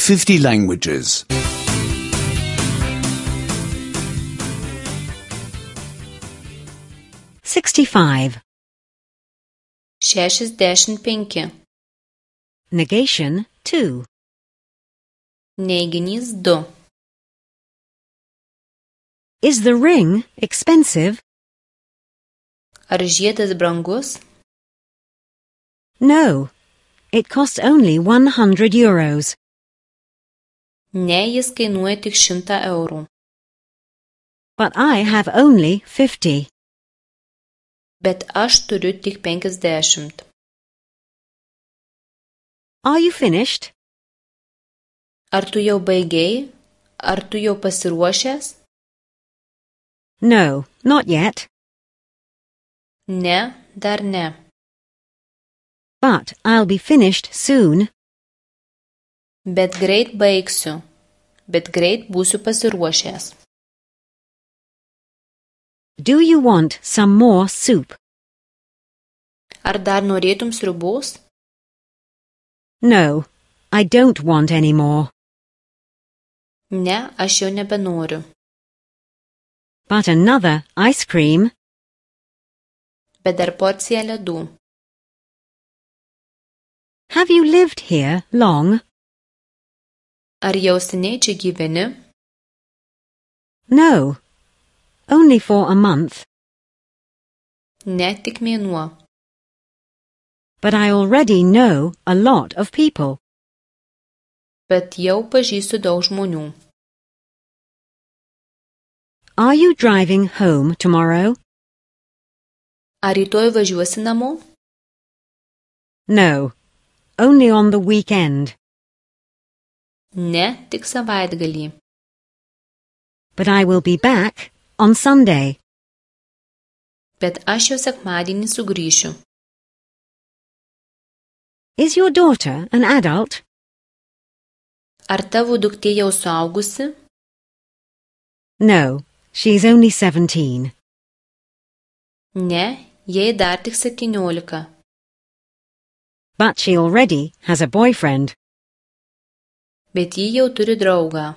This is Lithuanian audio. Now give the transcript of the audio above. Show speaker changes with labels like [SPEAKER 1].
[SPEAKER 1] 50 languages.
[SPEAKER 2] 65.
[SPEAKER 3] 65.
[SPEAKER 2] Negation 2.
[SPEAKER 3] Neiginys 2.
[SPEAKER 2] Is the ring expensive?
[SPEAKER 3] Ar žiedas brangus?
[SPEAKER 2] No. It costs only €100.
[SPEAKER 3] Ne, jis kainuoja tik 100 eurų.
[SPEAKER 2] But I have only 50.
[SPEAKER 3] Bet aš turiu tik 50.
[SPEAKER 2] Are you finished?
[SPEAKER 3] Ar tu jau baigei? Ar tu jau pasiruošęs?
[SPEAKER 2] No, not yet.
[SPEAKER 3] Ne, dar ne.
[SPEAKER 2] But I'll be finished soon.
[SPEAKER 3] Bet greit baigsiu. Bet greit būsiu pasiruošęs.
[SPEAKER 2] Do you want some more soup?
[SPEAKER 3] Ar dar norėtum sriubos?
[SPEAKER 2] No, I don't want any more.
[SPEAKER 3] Ne, aš jau nebenoriu.
[SPEAKER 2] But another ice cream?
[SPEAKER 3] Bet dar porcija ledų.
[SPEAKER 2] Have you lived here long?
[SPEAKER 3] Ar jau seniai čia gyveni?
[SPEAKER 2] No, only for a month.
[SPEAKER 3] Ne, tik mėnuo.
[SPEAKER 2] But I already know a lot of people.
[SPEAKER 3] Bet jau pažįstu daug žmonių.
[SPEAKER 2] Are you driving home tomorrow?
[SPEAKER 3] Ar rytoj važiuosi namo?
[SPEAKER 2] No, only on the weekend.
[SPEAKER 3] Ne, tik savaitgalį.
[SPEAKER 2] But I will be back on Sunday.
[SPEAKER 3] Bet aš jau sekmadienį sugrįšiu.
[SPEAKER 2] Is your daughter an adult?
[SPEAKER 3] Ar tavo duktė jau suaugusi?
[SPEAKER 2] No, she's only 17.
[SPEAKER 3] Ne, jai dar tik 17.
[SPEAKER 2] But she already has a boyfriend.
[SPEAKER 3] Bet ji jau turi draugą.